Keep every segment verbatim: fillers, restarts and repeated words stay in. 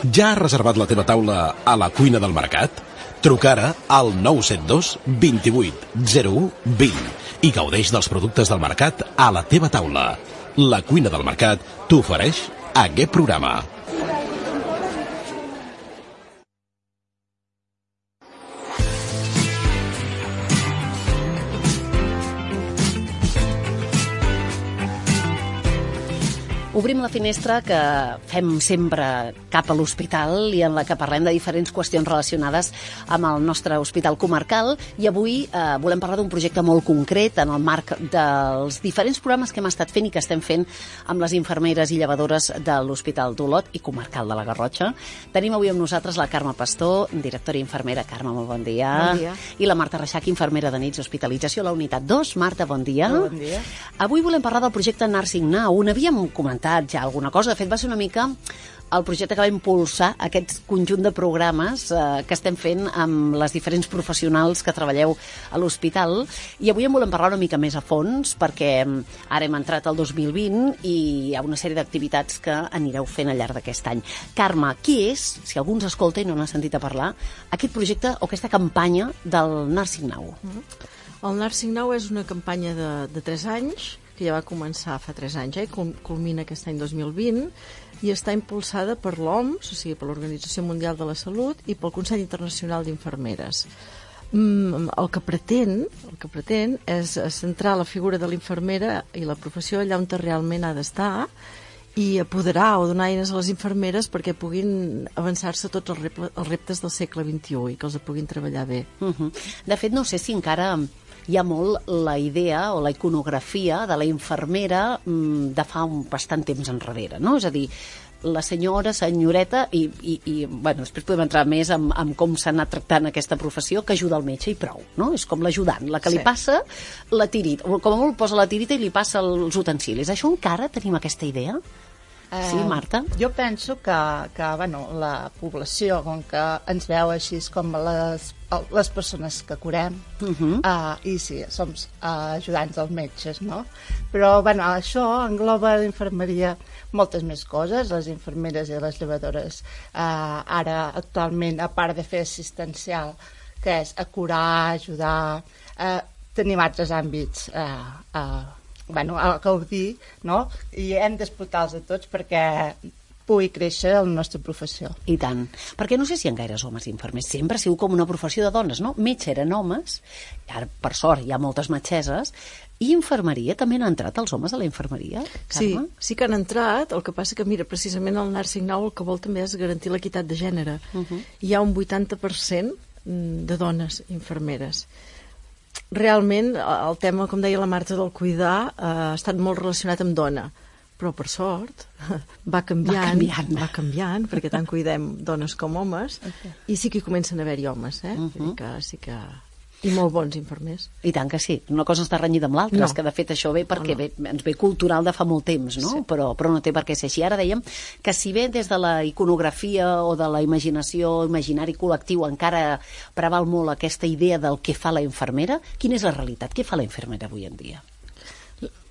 Ja has reservat la teva taula a la cuina del mercat? Truca ara al nou set dos, dos vuit, zero u, vint i gaudeix dels productes del mercat a la teva taula. La cuina del mercat t'ofereix aquest programa. Obrim la finestra que fem sempre cap a l'hospital i en la que parlem de diferents qüestions relacionades amb el nostre hospital comarcal, i avui eh, volem parlar d'un projecte molt concret en el marc dels diferents programes que hem estat fent i que estem fent amb les infermeres i llevadores de l'Hospital d'Olot i comarcal de la Garrotxa. Tenim avui amb nosaltres la Carme Pastor, directora i infermera. Carme, molt bon dia. Bon dia. I la Marta Reixac, infermera de nits d'hospitalització a la unitat dos. Marta, bon dia. Bon dia. Avui volem parlar del projecte Nursing Now. N'havíem comentat ja alguna cosa. De fet, va ser una mica el projecte que va impulsar aquest conjunt de programes eh, que estem fent amb les diferents professionals que treballeu a l'hospital, i avui en volem parlar una mica més a fons perquè ara hem entrat al dos mil vint i hi ha una sèrie d'activitats que anireu fent al llarg d'aquest any. Carme, qui és, si algú ens escolta i no n'ha sentit a parlar, aquest projecte o aquesta campanya del Nursing Now? El Nursing Now és una campanya de, de tres anys que ja va començar fa tres anys, eh? Culmina aquest any dos mil vint, i està impulsada per l'O M S, o sigui, per l'Organització Mundial de la Salut i pel Consell Internacional d'Infermeres. Mm, el que pretén, el que pretén és centrar la figura de l'infermera i la professió allà on realment ha d'estar i apoderar o donar eines a les infermeres perquè puguin avançar-se tots els, rep els reptes del segle vint-i-u i que els puguin treballar bé. Uh-huh. De fet, no sé si encara hi ha molt la idea o la iconografia de la infermera mmm, de fa un bastant temps enrere, no? És a dir, la senyora, senyoreta, i, i, i bueno, després podem entrar més en, en com s'ha anat tractant aquesta professió, que ajuda el metge i prou, no? És com l'ajudant, la que Sí. li passa la tirita, com a molt posa la tirita i li passa els utensilis. Això encara tenim aquesta idea? Eh, Sí, Marta? Jo penso que, que bueno, la població, com que ens veu així com les, les persones que curem, Uh-huh. uh, i sí, som uh, ajudants dels metges, no? Però bueno, això engloba l'infermeria moltes més coses. Les infermeres i les llevadores uh, ara actualment, a part de fer assistencial, que és acurar, ajudar, uh, tenim altres àmbits uh, uh, bueno, a gaudir, no? I hem d'explotar-los a tots perquè pugui créixer la nostra professió. I tant. Perquè no sé si hi ha gaires homes infermers. Sempre ha sigut com una professió de dones, no? Metge eren homes, ara, per sort, hi ha moltes metgesses, i infermeria, també han entrat els homes a la infermeria, Sí, Carme? sí que han entrat, el que passa que, mira, precisament el Nursing Now el que vol també és garantir l'equitat de gènere. Uh-huh. Hi ha un vuitanta per cent de dones infermeres. Realment, el tema, com deia la Marta, del cuidar eh, ha estat molt relacionat amb dona, però per sort va canviant, Va canviant. va canviant perquè tant cuidem dones com homes, Okay. i sí que hi comencen a haver-hi homes, eh? Uh-huh. Vull dir que sí que... I molt bons infermers. I tant que sí. Una cosa està renyida amb l'altra, No. és que de fet això ve perquè No, no. Ve, ens ve cultural de fa molt temps, no? Sí. Però, però no té per què ser així. Ara dèiem que si bé des de la iconografia o de la imaginació, imaginari col·lectiu, encara preval molt aquesta idea del que fa la infermera, quina és la realitat? Què fa la infermera avui en dia?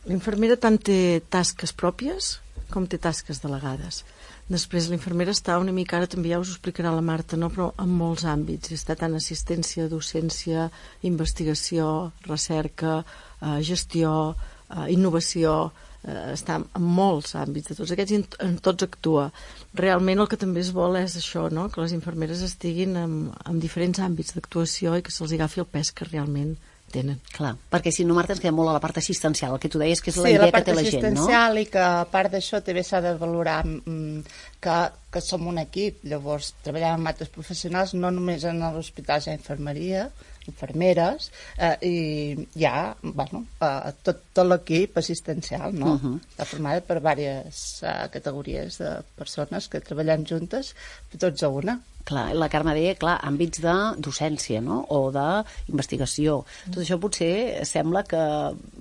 L'infermera tant té tasques pròpies com té tasques delegades. Després l'infermera està una mica, ara també ja us ho explicarà la Marta, no? Però en molts àmbits. Està tant assistència, docència, investigació, recerca, eh, gestió, eh, innovació, eh, està en molts àmbits de tots aquests i en, en tots actua. Realment el que també es vol és això, no? Que les infermeres estiguin en, en diferents àmbits d'actuació i que se'ls agafi el pes que realment tenen. Clar, perquè si no, Marta, ens queda molt a la part assistencial, el que tu deies que és la Sí, idea la part que té la gent, no? assistencial, i que a part d'això també s'ha de valorar mm, que, que som un equip, llavors treballem amb altres professionals, no només en l'hospital, hi ha infermeria, infermeres, eh, i hi ha bueno, eh, tot, tot l'equip assistencial, no? Uh-huh. Està formada per diverses eh, categories de persones que treballem juntes, tots a una. Clar, la Carme deia, clar, àmbits de docència, no? O d'investigació. Tot això potser sembla que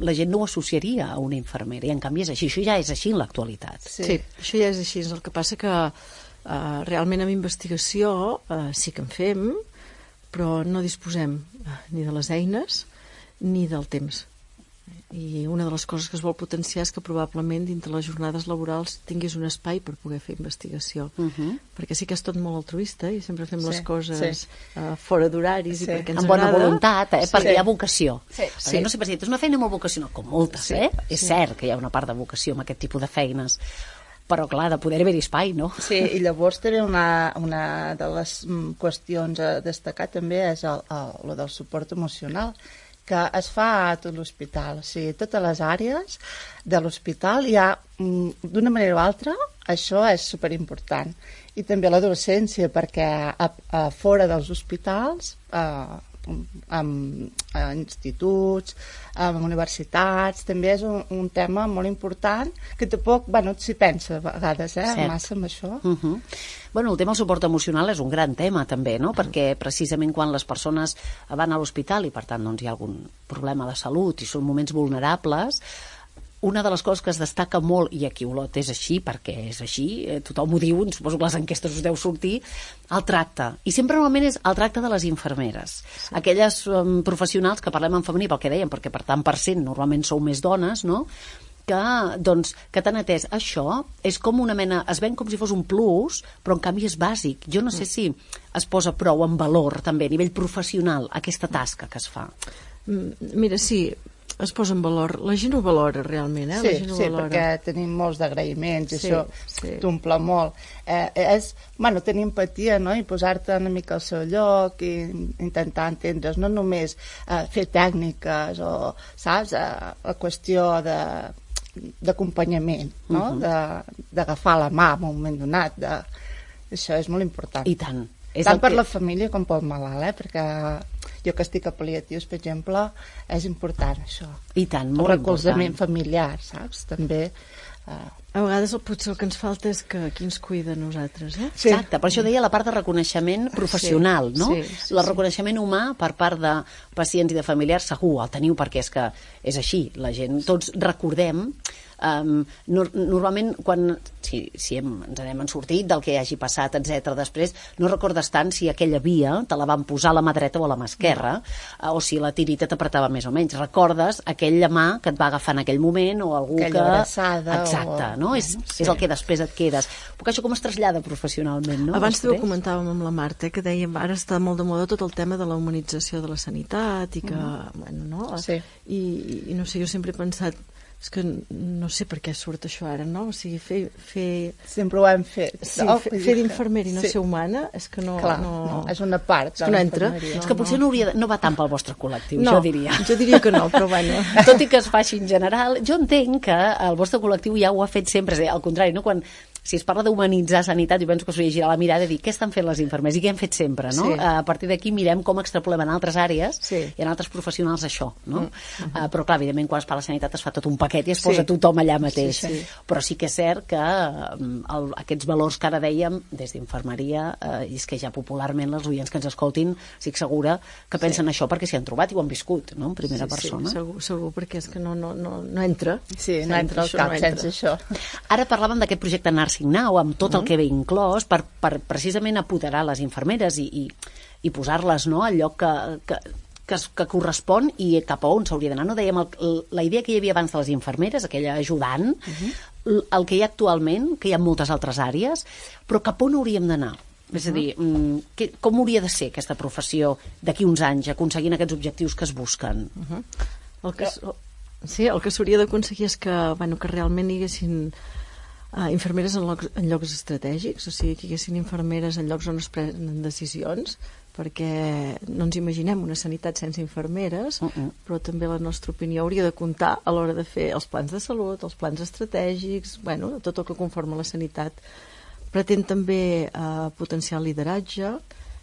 la gent no ho associaria a una infermera, i en canvi és així. Això ja és així en l'actualitat. Sí. Sí, això ja és així. El que passa que eh, realment amb investigació eh, sí que en fem, però no disposem eh, ni de les eines ni del temps. I una de les coses que es vol potenciar és que probablement dintre les jornades laborals tinguis un espai per poder fer investigació. Uh -huh. Perquè sí que és tot molt altruista i sempre fem sí, les coses sí. uh, fora d'horaris sí. i perquè ens amb bona agrada. voluntat, eh? Sí. Perquè hi ha vocació. Sí. Sí. No sempre si és una feina molt vocacional, com moltes, sí. eh? És sí. cert que hi ha una part de vocació en aquest tipus de feines, però clar, de poder haver-hi espai, no? Sí, i llavors també una, una de les qüestions a destacar també és el, el, el del suport emocional, que es fa a tot l'hospital, o sigui, totes les àrees de l'hospital hi ha, d'una manera o altra, això és superimportant. I també l'adolescència, perquè a, a fora dels hospitals, a, amb a instituts, amb universitats, també és un, un tema molt important que tampoc, bueno, s'hi pensa a vegades, eh, Cert. massa amb això. Uh -huh. Bueno, el tema del suport emocional és un gran tema també, no? Perquè precisament quan les persones van a l'hospital i per tant doncs, hi ha algun problema de salut i són moments vulnerables, una de les coses que es destaca molt, i aquí Olot és així, perquè és així, eh, tothom ho diu, suposo que les enquestes us deu sortir, el tracte. I sempre normalment és el tracte de les infermeres. Sí. Aquelles um, professionals que parlem en femení, pel que dèiem, perquè per tant per cent normalment sou més dones, no?, que, doncs, que t'han atès. Això és com una mena, es ven com si fos un plus, però en canvi és bàsic. Jo no sé si es posa prou en valor també a nivell professional aquesta tasca que es fa. Mira, sí, es posa en valor. La gent ho valora realment, eh? Sí, la gent ho sí, valora. perquè tenim molts d'agraïments i sí, això sí. t'omple molt. Eh, és, bueno, tenir empatia, no?, i posar-te una mica al seu lloc i intentar entendre's, no només eh, fer tècniques o, saps, a, a qüestió de d'acompanyament, no?, uh -huh. d'agafar la mà en un moment donat. De... Això és molt important. I tant. És tant per que... la família com pel malalt, eh? Perquè jo que estic a pal·liatius, per exemple, és important això. I tant, molt el recolzament important. familiar, saps? També... Eh... A vegades el, potser el que ens falta és que qui ens cuida a nosaltres, eh? Sí. Exacte, per això deia la part de reconeixement professional, sí, no? Sí, sí, el sí. reconeixement humà per part de pacients i de familiars segur, el teniu perquè és que és així, la gent, tots recordem Um, no, normalment quan si, si hem, ens n'hem sortit del que hagi passat, etcètera, després no recordes tant si aquella via te la van posar a la mà dreta o a la mà esquerra, no. o si la tirita t'apretava més o menys, recordes aquella mà que et va agafar en aquell moment o algú aquella que... abraçada exacte, o... no? És, sí. és el que després et quedes, perquè això com es trasllada professionalment, no? Abans també ho comentàvem amb la Marta, que dèiem ara està molt de moda tot el tema de la humanització de la sanitat i que, mm. bueno, no? Sí. I, i no sé, jo sempre he pensat és que no sé per què surt això ara, no? O sigui, fer... fer... Sempre ho hem fet. Sí, no? fer, fer d'infermer i no sí. ser humana és que no... Clar, no... no, és una part és que no entra. No, és que potser no, hauria de, no va tant pel vostre col·lectiu, no, jo diria. Jo diria que no, però bueno. Tot i que es faci en general, jo entenc que el vostre col·lectiu ja ho ha fet sempre, és a dir, al contrari, no? Quan si es parla d'humanitzar sanitat, jo penso que s'hauria de girar la mirada i dir què estan fent les infermeres i què hem fet sempre, no? Sí. A partir d'aquí mirem com extrapolem en altres àrees sí. i en altres professionals això, no? Mm. Uh, però clar, evidentment, quan es parla de sanitat es fa tot un paquet i es posa sí. tothom allà mateix. Sí, sí. Però sí que és cert que el, aquests valors que ara dèiem des d'infermeria, eh, i és que ja popularment les oients que ens escoltin, estic segura que pensen sí. això perquè s'hi han trobat i ho han viscut, no? En primera sí, persona. Sí, segur, segur, perquè és que no, no, no, no entra. Sí, no entra al cap no sense això. Ara parlàvem d'aquest projecte Nursing Now, amb tot el que ve inclòs per, per precisament apoderar les infermeres i, i, i posar-les, no?, al lloc que, que, que, que correspon i cap a on s'hauria d'anar. No? Dèiem, el, la idea que hi havia abans de les infermeres, aquella ajudant, uh -huh. el que hi ha actualment, que hi ha moltes altres àrees, però cap on hauríem d'anar? És a dir, que, com hauria de ser aquesta professió d'aquí uns anys, aconseguint aquests objectius que es busquen? Uh -huh. el que, sí, el que s'hauria d'aconseguir és que, bueno, que realment hi haguessin Uh, infermeres en llocs, en llocs estratègics, o sigui, que hi haguessin infermeres en llocs on es prenen decisions, perquè no ens imaginem una sanitat sense infermeres, uh -uh. però també la nostra opinió hauria de comptar a l'hora de fer els plans de salut, els plans estratègics, bueno, tot el que conforma la sanitat. Pretén també uh, potenciar el lideratge,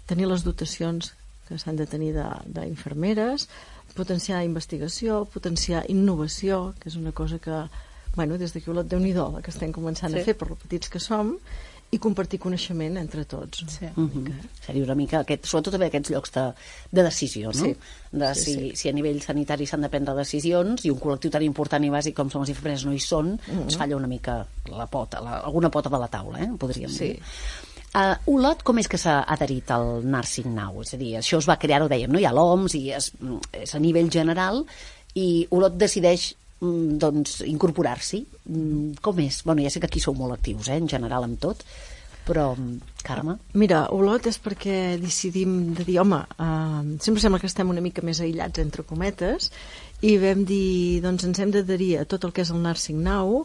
tenir les dotacions que s'han de tenir d'infermeres, potenciar investigació, potenciar innovació, que és una cosa que bueno, des d'aquí Olot, Déu-n'hi-do, que estem començant sí. a fer per lo petits que som, i compartir coneixement entre tots. Sí. Uh -huh. Seria una mica, aquest, sobretot també aquests llocs de, de decisió, no? Sí. De sí, si, sí. si a nivell sanitari s'han de prendre decisions i un col·lectiu tan important i bàsic com són les infermeres no hi són, uh -huh. es falla una mica la pota, la, alguna pota de la taula, eh? Podríem sí. dir. Uh, Olot, com és que s'ha adherit al Nursing Now? És a dir, això es va crear, ho dèiem, no? Hi ha l'O M S i és, és a nivell general. i Olot decideix doncs, incorporar-s'hi. Com és? Bueno, ja sé que aquí sou molt actius, eh, en general, amb tot, però, Carme? Mira, Olot és perquè decidim de dir, home, uh, sempre sembla que estem una mica més aïllats, entre cometes, i vam dir, doncs ens hem d'adherir a tot el que és el Nursing Now,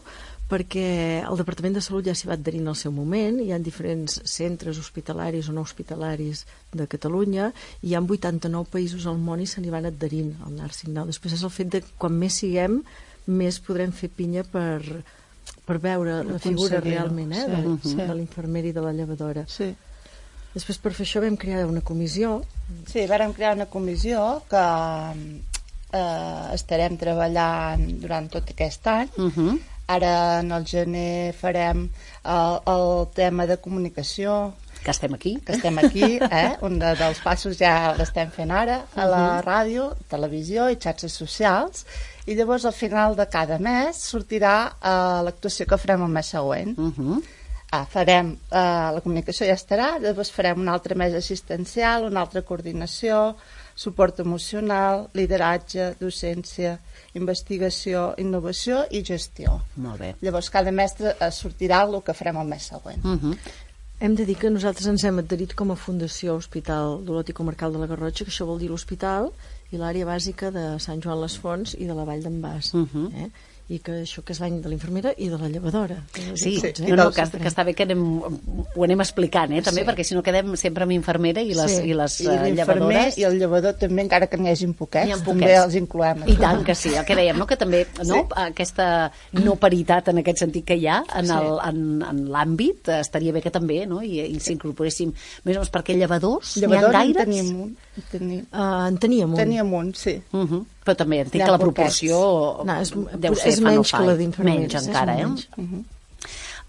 perquè el Departament de Salut ja s'hi va adherir en el seu moment, hi ha diferents centres hospitalaris o no hospitalaris de Catalunya, i hi ha vuitanta-nou països al món i se n'hi van adherint al Nursing Now. Després és el fet de quan més siguem, més podrem fer pinya per, per veure la figura realment, eh, sí, de, sí. de l'infermera i de la llevadora. Sí. Després per fer això vam crear una comissió. Sí, vam crear una comissió que eh, estarem treballant durant tot aquest any. Uh-huh. Ara en el gener farem el, el tema de comunicació. Que estem aquí. Que estem aquí, eh? Un de, dels passos ja l'estem fent ara, a la ràdio, televisió i xarxes socials, i llavors al final de cada mes sortirà uh, l'actuació que farem el mes següent. Uh-huh. ah, farem, uh, la comunicació ja estarà, llavors farem un altre mes assistencial, una altra coordinació, suport emocional, lideratge, docència, investigació, innovació i gestió. Molt bé. Llavors cada mestre uh, sortirà el que farem el mes següent. Uh-huh. Hem de dir que nosaltres ens hem adherit com a Fundació Hospital d'Olot i Comarcal de la Garrotxa, que això vol dir l'hospital i l'àrea bàsica de Sant Joan les Fonts i de la Vall d'en Bas. Uh-huh. eh? I que això que és l'any de l'infermera i de la llevadora. Sí, sí, eh? no, no, que, que està bé que anem, ho anem explicant, eh, també, sí. Perquè si no quedem sempre amb infermera i les, sí. i les I llevadores. I el llevador també, encara que n'hi hagi poquets, poquets, també els incloem. I tant que sí, el que dèiem, no? Que també no? Sí. Aquesta no paritat en aquest sentit que hi ha en, el, sí. en, en l'àmbit, estaria bé que també, no? I, i s'incorporéssim més o menys, perquè llevadors, llevadors n'hi ha gaires? Tenim un. Tenim. Uh, en teníem un. Teníem un, sí. Uh-huh. Però també entenc que la proporció no, és, deu ser és menys que la d'infermeres. Menys encara, eh? Uh-huh.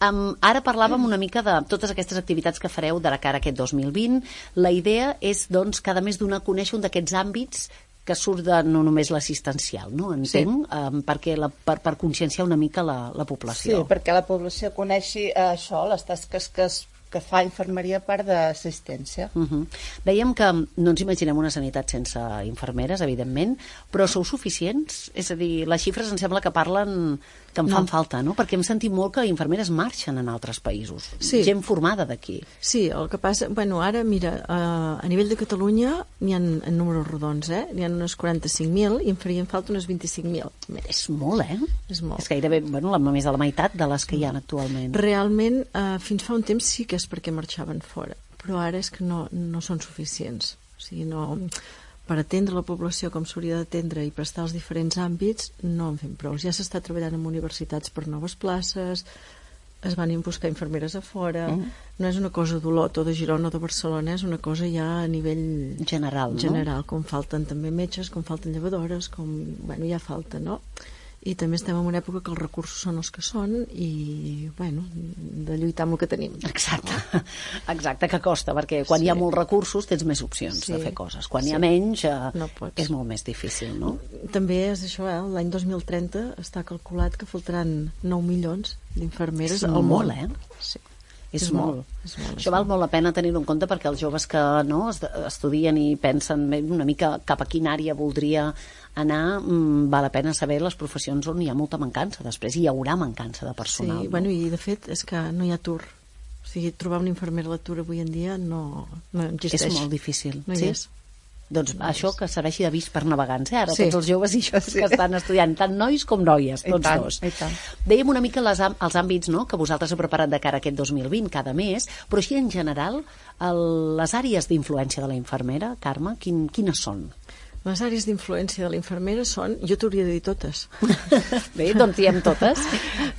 Um, ara parlàvem una mica de totes aquestes activitats que fareu de la cara a aquest dos mil vint. La idea és, doncs, cada mes donar a conèixer un d'aquests àmbits que surt de no només l'assistencial, no? Entenc, sí. um, perquè la, per, per conscienciar una mica la, la població. Sí, perquè la població coneixi uh, això, les tasques que es que fa infermeria a part d'assistència. Uh-huh. Dèiem que no ens imaginem una sanitat sense infermeres, evidentment, però sou suficients? És a dir, les xifres em sembla que parlen que em fan no. falta, no? Perquè hem sentit molt que infermeres marxen en altres països. Sí. Gent formada d'aquí. Sí, el que passa... Bueno, ara, mira, uh, a nivell de Catalunya n'hi ha en números rodons, eh? N'hi ha unes quaranta-cinc mil i en farien falta unes vint-i-cinc mil. És molt, eh? És molt. És gairebé, bueno, la, més de la meitat de les que hi ha actualment. Realment, uh, fins fa un temps sí que és perquè marxaven fora, però ara és que no, no són suficients. O sigui, no... per atendre la població com s'hauria d'atendre i prestar els diferents àmbits, no en fem prou. Ja s'està treballant en universitats per noves places, es van buscar infermeres a fora, mm. no és una cosa d'Olot o de Girona o de Barcelona, és una cosa ja a nivell general, no? general, com falten també metges, com falten llevadores, com, bueno, ja falta, no? I també estem en una època que els recursos són els que són i, bueno, de lluitar amb el que tenim. Exacte, exacte, que costa, perquè quan sí. hi ha molts recursos tens més opcions sí. de fer coses. Quan sí. hi ha menys eh, no és molt més difícil, no? També és això, eh? L'any dos mil trenta està calculat que faltaran nou milions d'infermeres al món. Molt, eh? Sí. És, és molt. molt. És molt. Això val molt la pena tenir-ho en compte perquè els joves que no, estudien i pensen una mica cap a quina àrea voldria anar, mmm, val la pena saber les professions on hi ha molta mancança. Després hi haurà mancança de personal. Sí, no? bueno, i de fet és que no hi ha atur. O sigui, trobar una infermera a l'atur avui en dia no, no existeix. És molt difícil. No hi sí? és. Doncs no això que serveixi d'avís per navegants, eh? Ara sí. tots els joves i joves sí. que estan estudiant, tant nois com noies, tots tant, dos. tant. Dèiem una mica les, els àmbits, no?, que vosaltres heu preparat de cara a aquest dos mil vint, cada mes, però així en general, el, les àrees d'influència de la infermera, Carme, quin, quines són? Les àrees d'influència de la infermera són... Jo t'hauria de dir totes. Bé, doncs diem totes.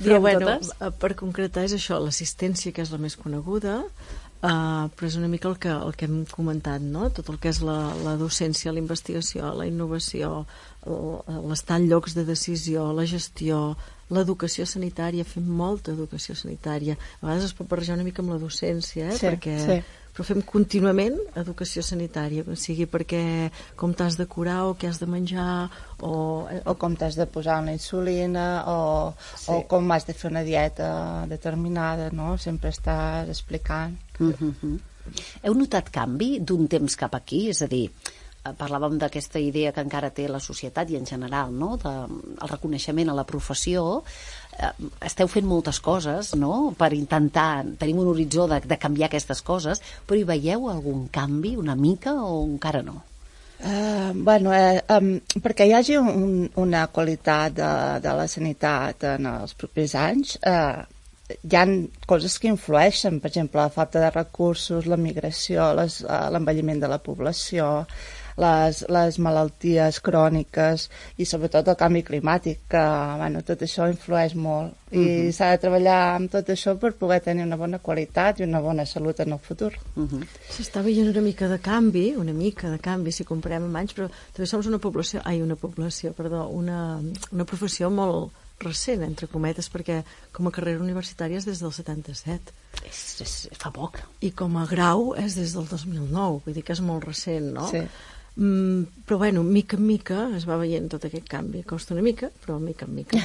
Però diem bueno, totes. Per concretar és això, l'assistència, que és la més coneguda, uh, però és una mica el que, el que hem comentat, no? Tot el que és la, la docència, la investigació, la innovació, l'estar en llocs de decisió, la gestió, l'educació sanitària, fem molta educació sanitària. A vegades es pot barrejar una mica amb la docència, eh? Sí, perquè... sí. però fem contínuament educació sanitària, o sigui, perquè com t'has de curar o què has de menjar o, o com t'has de posar una insulina o, sí. o com has de fer una dieta determinada, no? Sempre estàs explicant. Mm-hmm. Heu notat canvi d'un temps cap aquí? És a dir, parlàvem d'aquesta idea que encara té la societat i en general, no? De, el reconeixement a la professió. Eh, esteu fent moltes coses, no?, per intentar, tenim un horitzó de, de canviar aquestes coses, però hi veieu algun canvi una mica o encara no? Uh, bueno, eh, um, perquè hi hagi un, una qualitat de, de la sanitat en els propers anys, eh, hi ha coses que influeixen, per exemple, la falta de recursos, la migració, les, uh, l'envelliment de la població, les, les malalties cròniques i sobretot el canvi climàtic, que bueno, tot això influeix molt i uh-huh. s'ha de treballar amb tot això per poder tenir una bona qualitat i una bona salut en el futur. Uh-huh. S'està veient una mica de canvi, una mica de canvi si comparem amb anys, però també som una població, ai, una població, perdó, una, una professió molt recent, entre cometes, perquè com a carrera universitària és des del setanta-set. És, és, fa poc. I com a grau és des del dos mil nou, vull dir que és molt recent, no? Sí. Mm, però bueno, mica en mica es va veient tot aquest canvi. Costa una mica, però mica en mica.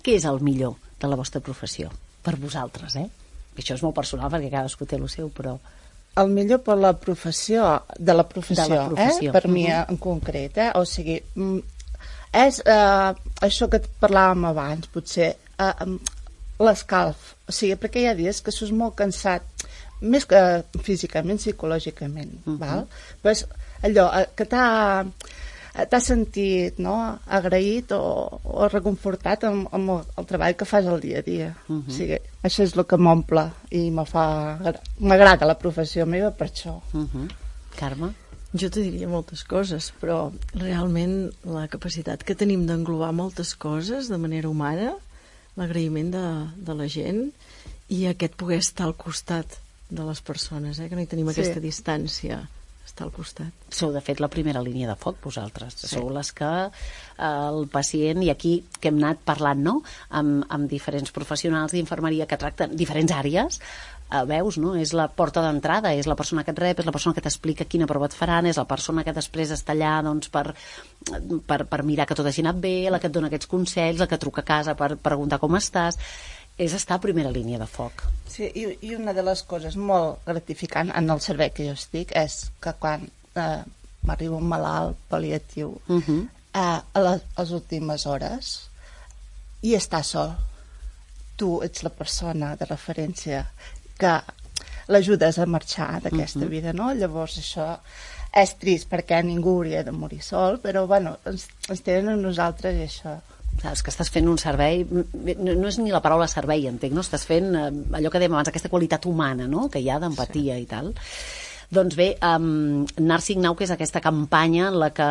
Què és el millor de la vostra professió? Per vosaltres, eh? Això és molt personal perquè cadascú té el seu, però... El millor per la professió, de la professió, de la professió. Eh? Per uh-huh. mi en concret, eh? O sigui, és eh, això que parlàvem abans, potser, eh, l'escalf. O sigui, perquè hi ha dies que sos molt cansat, més que físicament, psicològicament, uh-huh. val? Però és allò que t'ha, t'ha sentit, no?, agraït o, o reconfortat amb, amb el, el treball que fas al dia a dia. Uh-huh. O sigui, això és el que m'omple i me fa, m'agrada la professió meva per això. Uh-huh. Carme? Jo te diria moltes coses, però realment la capacitat que tenim d'englobar moltes coses de manera humana, l'agraïment de, de la gent i aquest poder estar al costat de les persones, eh? Que no hi tenim sí. aquesta distància, estar al costat. Sou, de fet, la primera línia de foc, vosaltres. Sí. Sou les que eh, el pacient, i aquí que hem anat parlant, no?, amb, amb diferents professionals d'infermeria que tracten diferents àrees, eh, veus, no?, és la porta d'entrada, és la persona que et rep, és la persona que t'explica quina prova et faran, és la persona que després està allà, doncs, per, per, per mirar que tot hagi anat bé, la que et dona aquests consells, la que truca a casa per preguntar com estàs. És estar a primera línia de foc. Sí, i, i una de les coses molt gratificant en el servei que jo estic és que quan eh, m'arriba un malalt pal·liatiu uh-huh. eh, a, les, a les últimes hores i està sol, tu ets la persona de referència que l'ajudes a marxar d'aquesta uh-huh. vida, no? Llavors això és trist perquè ningú hauria de morir sol, però bueno, ens, ens tenen a nosaltres i això... Saps que estàs fent un servei, no, no és ni la paraula servei, entenc, no? Estàs fent eh, allò que dèiem abans, aquesta qualitat humana, no?, que hi ha d'empatia sí. i tal. Doncs bé, um, Nursing Now, que és aquesta campanya en la que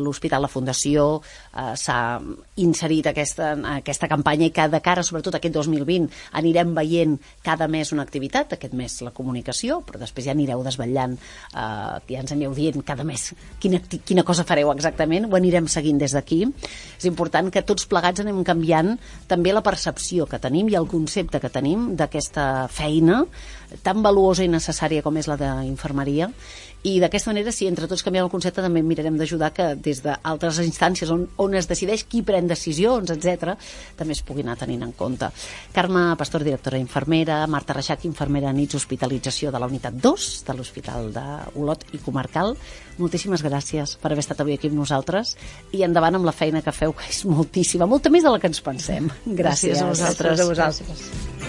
l'Hospital, la Fundació, uh, s'ha inserit aquesta, aquesta campanya i que de cara, sobretot aquest dos mil vint, anirem veient cada mes una activitat, aquest mes la comunicació, però després ja anireu desvetllant, uh, ja ens aneu dient cada mes quina, quina cosa fareu exactament, ho anirem seguint des d'aquí. És important que tots plegats anem canviant també la percepció que tenim i el concepte que tenim d'aquesta feina tan valuosa i necessària com és la d'infermeria, i d'aquesta manera, si entre tots canviem el concepte, també mirarem d'ajudar que des d'altres instàncies on, on es decideix qui pren decisions, etcètera, també es pugui anar tenint en compte. Carme Pastor, directora infermera, Marta Reixac, infermera nits hospitalització de la unitat dos de l'Hospital d'Olot i Comarcal, moltíssimes gràcies per haver estat avui aquí amb nosaltres i endavant amb la feina que feu, que és moltíssima, molta més de la que ens pensem. Gràcies, gràcies a vosaltres. Gràcies a vosaltres.